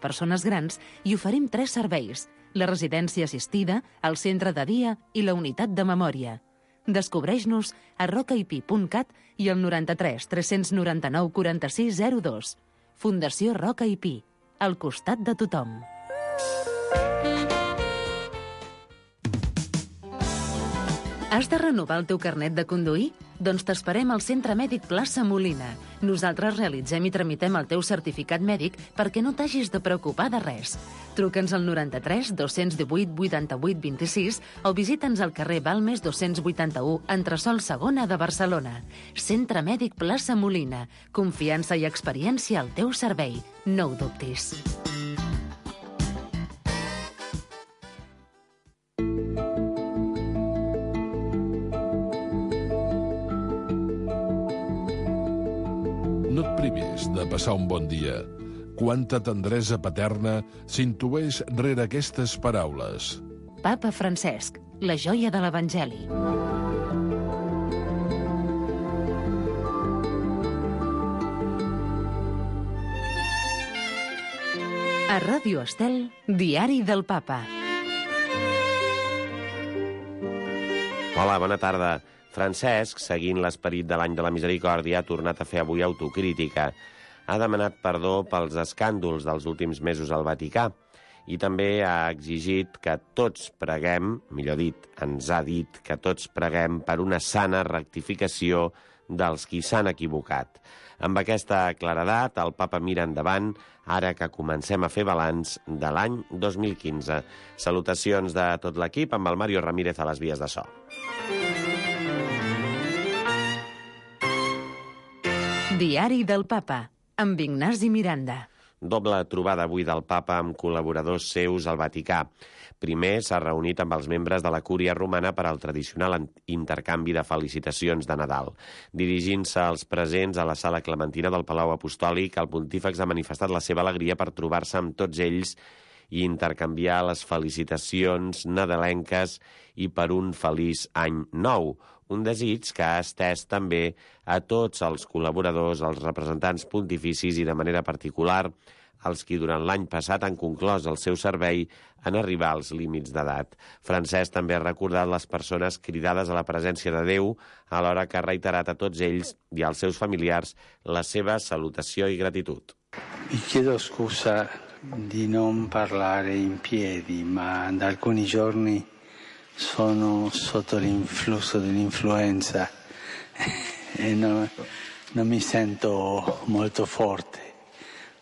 persones grans i oferim 3 serveis: la residència assistida, el centre de dia i la unitat de memòria. Descobreix-nos a rocaip.cat i al 93 399 4602. Fundació Roca i Pi, al costat de tothom. Has de renovar el teu carnet de conduir? Doncs t'esperem al Centre Mèdic Plaça Molina. Nosaltres realitzem i tramitem el teu certificat mèdic perquè no t'hagis de preocupar de res. Truca'ns al 93 218 88 26 o visita'ns al carrer Balmes 281, entresòl segona de Barcelona. Centre Mèdic Plaça Molina. Confiança i experiència al teu servei. No ho dubtis. No et privis de passar un bon dia. Quanta tendresa paterna s'intueix rere aquestes paraules. Papa Francesc, la joia de l'Evangeli. A Ràdio Estel, Diari del Papa. Hola, bona tarda. Francesc, seguint l'esperit de l'any de la misericòrdia, ha tornat a fer avui autocrítica. Ha demanat perdó pels escàndols dels últims mesos al Vaticà i també ha exigit que tots preguem, millor dit, ens ha dit que tots preguem per una sana rectificació dels qui s'han equivocat. Amb aquesta claredat, el papa mira endavant, ara que comencem a fer balanç de l'any 2015. Salutacions de tot l'equip amb el Mario Ramírez a les vies de so. Diari del Papa, amb Ignasi Miranda. Doble trobada avui del papa amb col·laboradors seus al Vaticà. Primer s'ha reunit amb els membres de la Cúria Romana per al tradicional intercanvi de felicitacions de Nadal. Dirigint-se als presents a la sala clementina del Palau Apostòlic, el pontífex ha manifestat la seva alegria per trobar-se amb tots ells i intercanviar les felicitacions nadalenques i per un feliç any nou. Un desig que ha estès també a tots els col·laboradors, als representants pontificis i de manera particular als qui durant l'any passat han conclòs el seu servei en arribar als límits d'edat. Francesc també ha recordat les persones cridades a la presència de Déu, alhora que ha reiterat a tots ells i als seus familiars la seva salutació i gratitud. Vi chiedo scusa di non parlare in piedi, ma da alcuni giorni sono sotto l'influsso dell'influenza e non mi sento molto forte.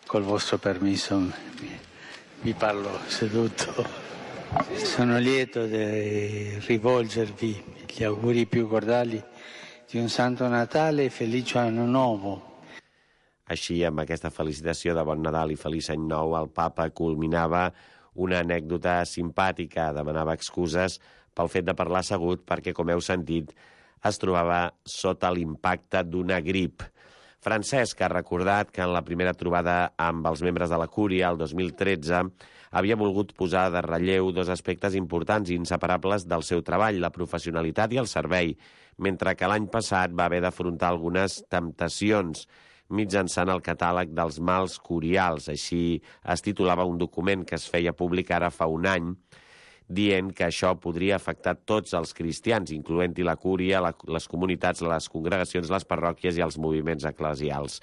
Col vostro permesso vi parlo seduto. Sono lieto di rivolgervi gli auguri più cordiali di un Santo Natale e felice anno nuovo. Així, amb aquesta felicitació de Bon Nadal i Feliç Any Nou, el papa culminava una anècdota simpàtica, demanava excuses pel fet de parlar assegut perquè, com heu sentit, es trobava sota l'impacte d'una grip. Francesc ha recordat que en la primera trobada amb els membres de la Cúria, el 2013, havia volgut posar de relleu dos aspectes importants i inseparables del seu treball, la professionalitat i el servei, mentre que l'any passat va haver d'afrontar algunes temptacions mitjançant el catàleg dels mals curials. Així es titulava un document que es feia públic ara fa un any, dient que això podria afectar tots els cristians, incloent-hi la cúria, les comunitats, les congregacions, les parròquies i els moviments eclesials.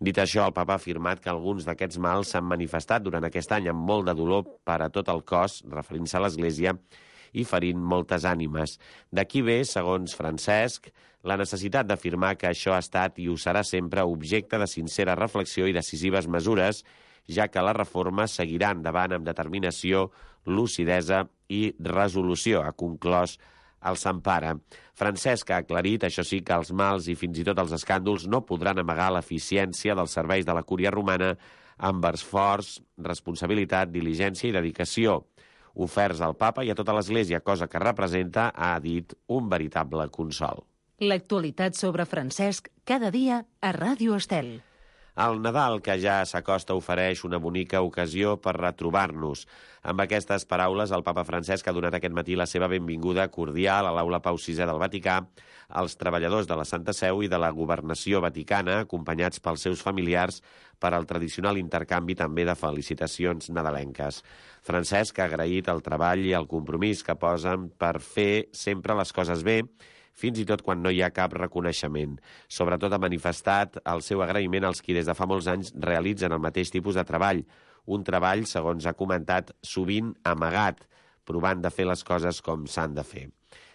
Dit això, el papa ha afirmat que alguns d'aquests mals s'han manifestat durant aquest any amb molt de dolor per a tot el cos, referint-se a l'Església, i ferint moltes ànimes. D'aquí ve, segons Francesc, la necessitat d'afirmar que això ha estat i ho serà sempre objecte de sincera reflexió i decisives mesures, ja que la reforma seguirà endavant amb determinació, lucidesa i resolució, ha conclòs el Sant Pare. Francesc ha aclarit, això sí, que els mals i fins i tot els escàndols no podran amagar l'eficiència dels serveis de la Cúria Romana amb esforç, responsabilitat, diligència i dedicació, oferts al papa i a tota l'Església, cosa que representa, ha dit, un veritable consol. L'actualitat sobre Francesc cada dia a Ràdio Estel. El Nadal, que ja s'acosta, ofereix una bonica ocasió per retrobar-nos. Amb aquestes paraules, el papa Francesc ha donat aquest matí la seva benvinguda cordial a l'Aula Pau VI del Vaticà als treballadors de la Santa Seu i de la Governació Vaticana, acompanyats pels seus familiars, per al tradicional intercanvi també de felicitacions nadalenques. Francesc ha agraït el treball i el compromís que posen per fer sempre les coses bé, fins i tot quan no hi ha cap reconeixement. Sobretot ha manifestat el seu agraïment als qui des de fa molts anys realitzen el mateix tipus de treball. Un treball, segons ha comentat, sovint amagat, provant de fer les coses com s'han de fer.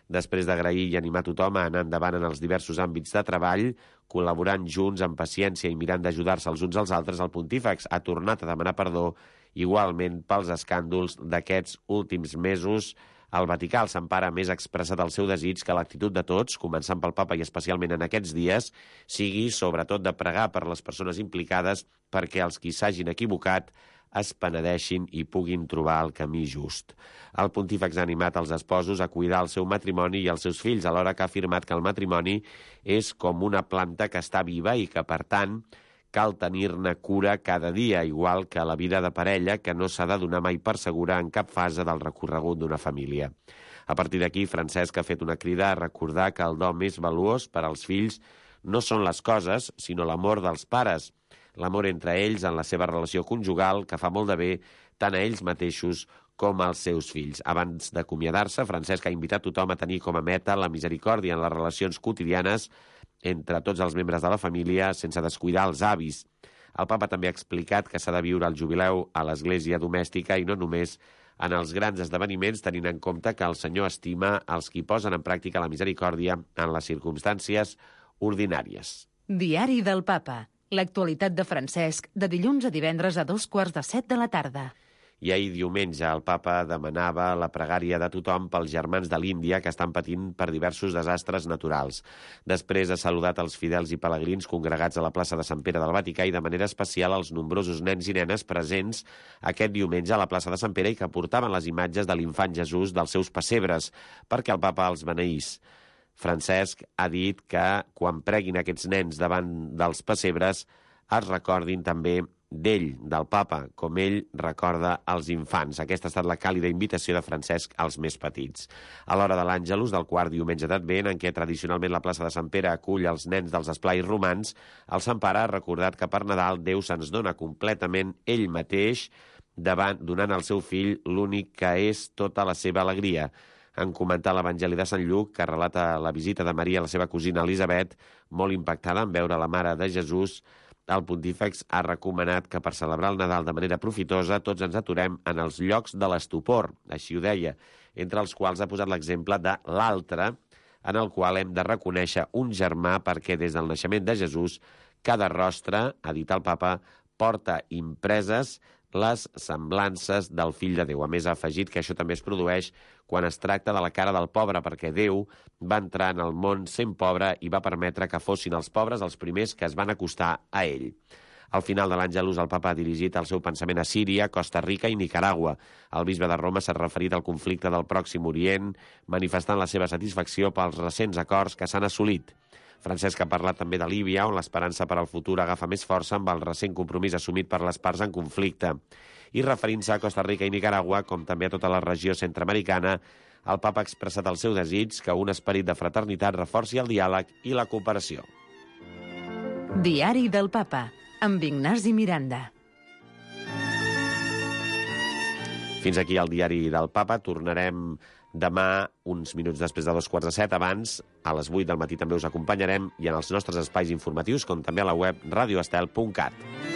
Després d'agrair i animar tothom a anar endavant en els diversos àmbits de treball, col·laborant junts amb paciència i mirant d'ajudar-se els uns als altres, el pontífex ha tornat a demanar perdó igualment pels escàndols d'aquests últims mesos. El Vaticà al Sant Pare més ha expressat el seu desig que l'actitud de tots, començant pel papa i especialment en aquests dies, sigui sobretot de pregar per les persones implicades perquè els qui s'hagin equivocat es penedeixin i puguin trobar el camí just. El pontífex ha animat els esposos a cuidar el seu matrimoni i els seus fills, alhora que ha afirmat que el matrimoni és com una planta que està viva i que, per tant, cal tenir-ne cura cada dia, igual que la vida de parella, que no s'ha de donar mai per segura en cap fase del recorregut d'una família. A partir d'aquí, Francesc ha fet una crida a recordar que el do més valuós per als fills no són les coses, sinó l'amor dels pares, l'amor entre ells en la seva relació conjugal, que fa molt de bé tant a ells mateixos com als seus fills. Abans d'acomiadar-se, Francesc ha invitat tothom a tenir com a meta la misericòrdia en les relacions quotidianes entre tots els membres de la família, sense descuidar els avis. El papa també ha explicat que s'ha de viure el jubileu a l'església domèstica i no només en els grans esdeveniments, tenint en compte que el Senyor estima els qui posen en pràctica la misericòrdia en les circumstàncies ordinàries. Diari del Papa. L'actualitat de Francesc, de dilluns a divendres a 6:45 de la tarda. I ahir diumenge el papa demanava la pregària de tothom pels germans de l'Índia que estan patint per diversos desastres naturals. Després ha saludat els fidels i pelegrins congregats a la plaça de Sant Pere del Vaticà i de manera especial als nombrosos nens i nenes presents aquest diumenge a la plaça de Sant Pere i que portaven les imatges de l'infant Jesús dels seus pessebres perquè el papa els beneís. Francesc ha dit que quan preguin aquests nens davant dels pessebres es recordin també d'ell, del papa, com ell recorda els infants. Aquesta ha estat la càlida invitació de Francesc als més petits. A l'hora de l'Àngelus, del quart diumenge d'Advent, en què tradicionalment la plaça de Sant Pere acull els nens dels esplais romans, el Sant Pare ha recordat que per Nadal Déu se'ns dona completament ell mateix, donant al seu fill l'únic que és tota la seva alegria. En comentar l'Evangeli de Sant Lluc, que relata la visita de Maria a la seva cosina Elisabet, molt impactada en veure la mare de Jesús, el pontífex ha recomanat que per celebrar el Nadal de manera profitosa tots ens aturem en els llocs de l'estupor, així ho deia, entre els quals ha posat l'exemple de l'altre, en el qual hem de reconèixer un germà perquè des del naixement de Jesús cada rostre, ha dit el papa, porta impreses les semblances del fill de Déu. A més, ha afegit que això també es produeix quan es tracta de la cara del pobre, perquè Déu va entrar en el món sent pobre i va permetre que fossin els pobres els primers que es van acostar a ell. Al final de l'Àngelus, el papa ha dirigit el seu pensament a Síria, Costa Rica i Nicaragua. El bisbe de Roma s'ha referit al conflicte del Pròxim Orient, manifestant la seva satisfacció pels recents acords que s'han assolit. Francesc ha parlat també de Líbia, on l'esperança per al futur agafa més força amb el recent compromís assumit per les parts en conflicte. I referint-se a Costa Rica i Nicaragua, com també a tota la regió centreamericana, el papa ha expressat el seu desig que un esperit de fraternitat reforci el diàleg i la cooperació. Diari del Papa, amb Ignasi Miranda. Fins aquí el Diari del Papa. Tornarem demà, uns minuts després de 7:15. Abans, a les 8 del matí també us acompanyarem i en els nostres espais informatius, com també a la web radioestel.cat.